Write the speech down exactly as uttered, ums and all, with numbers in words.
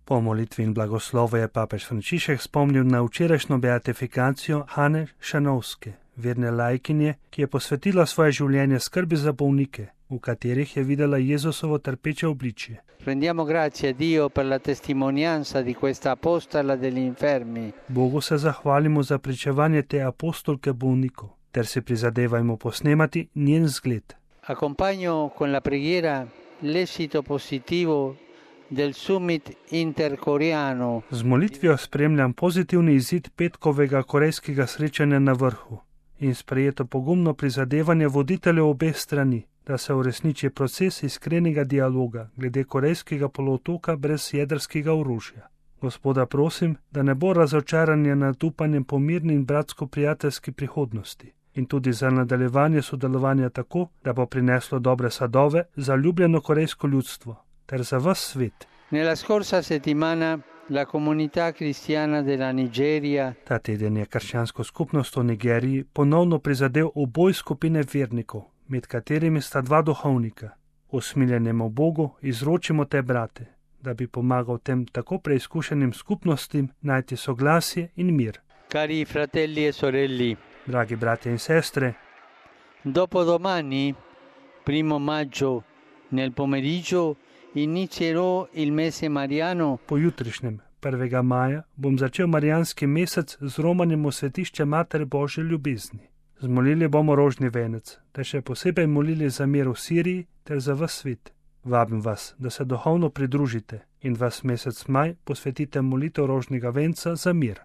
Po molitvi in blagoslovu je papež Frančišek spomnil na včerajšnjo beatifikacijo Hane Šanovske, verne laikinje, ki je posvetila svoje življenje skrbi za bolnike, v katerih je videla Jezusovo trpeče obličje. Rendiamo grazie a Dio per la testimonianza di questa apostola degli infermi. Bogu se zahvalimo za pričevanje te apostolke bolnikov, ter se prizadevajmo posnemati njen zgled. Accompagno con la preghiera l'esito positivo del summit interkoreano. Z molitvijo spremljam pozitivni izid petkovega korejskega srečanja na vrhu in sprejeto pogumno prizadevanje voditeljev obeh strani, da se uresniči proces iskrenega dialoga glede korejskega polotoka brez jedrskega orožja. Gospoda prosim, da ne bo razočaranje nad upanjem po mirni in bratsko-prijateljski prihodnosti in tudi za nadaljevanje sodelovanja tako, da bo prineslo dobre sadove za ljubljeno korejsko ljudstvo ter za ves svet. Nella scorsa settimana la comunità cristiana della Nigeria. Ta teden je krščansko skupnost v Nigeriji ponovno prizadel oboj skupine vernikov, med katerimi sta dva duhovnika. Usmiljenemu Bogu izročimo te brate, da bi pomagal tem tako preizkušenim skupnostim najti soglasje in mir. Cari fratelli e sorelle, dragi brati in sestre, dopodomani, primo maggio, nel pomeriggio, inizierò il mese mariano. Pojutrišnjem, prvega maja, bom začel marijanski mesec z romanjem v svetišče Matere Božje ljubezni. Zmolili bomo rožni venec, ter še posebej molili za mir v Siriji ter za ves svet. Vabim vas, da se duhovno pridružite in vas mesec maj posvetite molitev rožnega venca za mir.